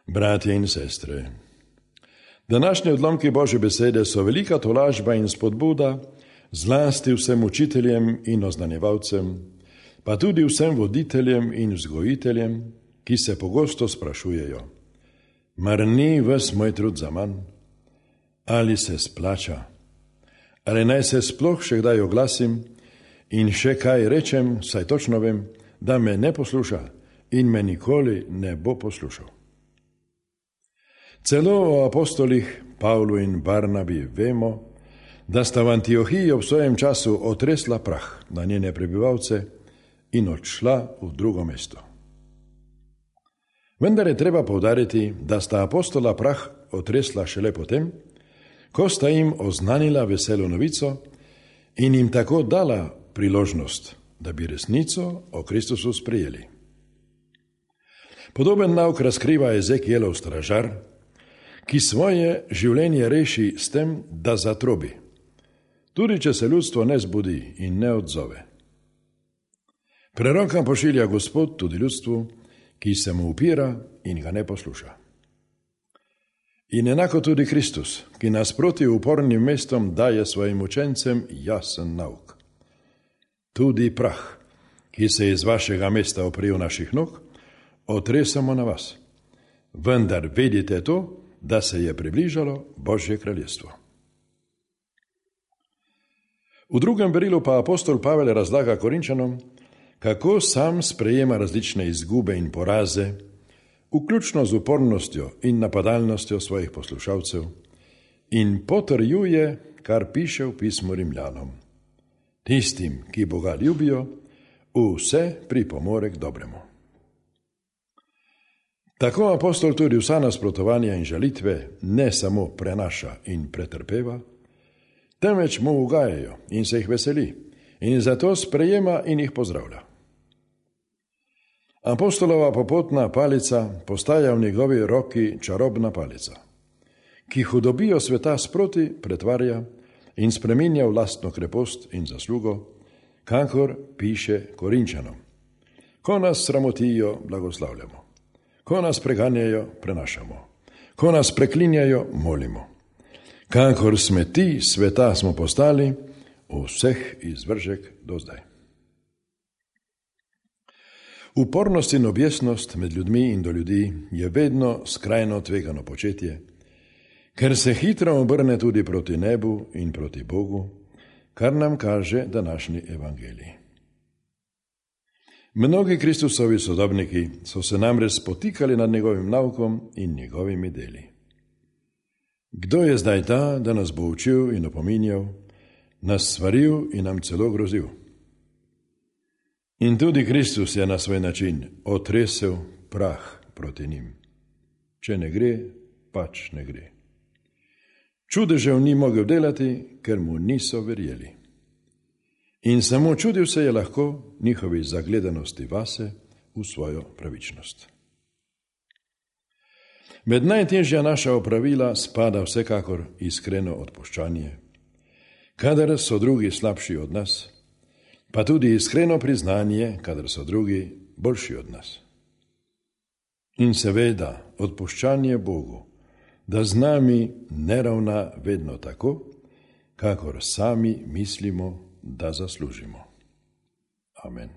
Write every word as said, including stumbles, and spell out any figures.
Bratje in sestre, današnje odlomki Božje besede so velika tolažba in spodbuda zlasti vsem učiteljem in oznanjevalcem, pa tudi vsem voditeljem in vzgojiteljem, ki se pogosto sprašujejo: mar ni ves moj trud zaman? Ali se splača? Ali naj se sploh še kdaj oglasim in še kaj rečem, saj točno vem, da me ne posluša in me nikoli ne bo poslušal. Celo o apostolih Pavlu in Barnabi vemo, da sta v Antiohiji ob svojem času otresla prah na njene prebivalce in odšla v drugo mesto. Vendar je treba poudariti, da sta apostola prah otresla šele potem, ko sta jim oznanila veselo novico in jim tako dala priložnost, da bi resnico o Kristusu sprejeli. Podoben nauk razkriva Ezekielov stražar, ki svoje življenje reši s tem, da zatrobi, tudi če se ljudstvo ne zbudi in ne odzove. Preroka pošilja Gospod tudi ljudstvu, ki se mu upira in ga ne posluša. In enako tudi Kristus, ki nasproti upornim mestom daje svojim učencem jasen nauk. Tudi prah, ki se iz vašega mesta oprijel naših nog, otresamo na vas. Vendar vedite to, da se je približalo Božje kraljestvo. V drugem berilu pa apostol Pavel razlaga Korinčanom, kako sam sprejema različne izgube in poraze, vključno z upornostjo in napadalnostjo svojih poslušalcev, in potrjuje, kar piše v pismu Rimljanom: tistim, ki Boga ljubijo, vse pripomore k dobremu. Tako apostol tudi vsa nasprotovanja in žalitve ne samo prenaša in pretrpeva, temveč mu ugajajo in se jih veseli in zato sprejema in jih pozdravlja. Apostolova popotna palica postaja v njegovi roki čarobna palica, ki hudobijo sveta sproti pretvarja in spreminja v lastno krepost in zaslugo, kakor piše Korinčanom: ko nas sramotijo, blagoslavljamo. Ko nas preganjajo, prenašamo. Ko nas preklinjajo, molimo. Kakor smeti sveta smo postali, vseh izvržek do zdaj. Upornost in objesnost med ljudmi in do ljudi je vedno skrajno tvegano početje, ker se hitro obrne tudi proti nebu in proti Bogu, kar nam kaže današnji evangelij. Mnogi Kristusovi sodobniki so se namreč spotikali nad njegovim naukom in njegovimi deli. Kdo je zdaj ta, da nas bo učil in opominjal, nas svaril in nam celo grozil? In tudi Kristus je na svoj način otresel prah proti njim. Če ne gre, pač ne gre. Čudežev ni mogel delati, ker mu niso verjeli. In samo čudil se je lahko njihovi zagledanosti vase v svojo pravičnost. Med najtežja naša opravila spada vsekakor iskreno odpuščanje, kadar so drugi slabši od nas, pa tudi iskreno priznanje, kadar so drugi boljši od nas. In seveda odpuščanje Bogu, da z nami ne ravna vedno tako, kakor sami mislimo, da zaslužimo. Amen.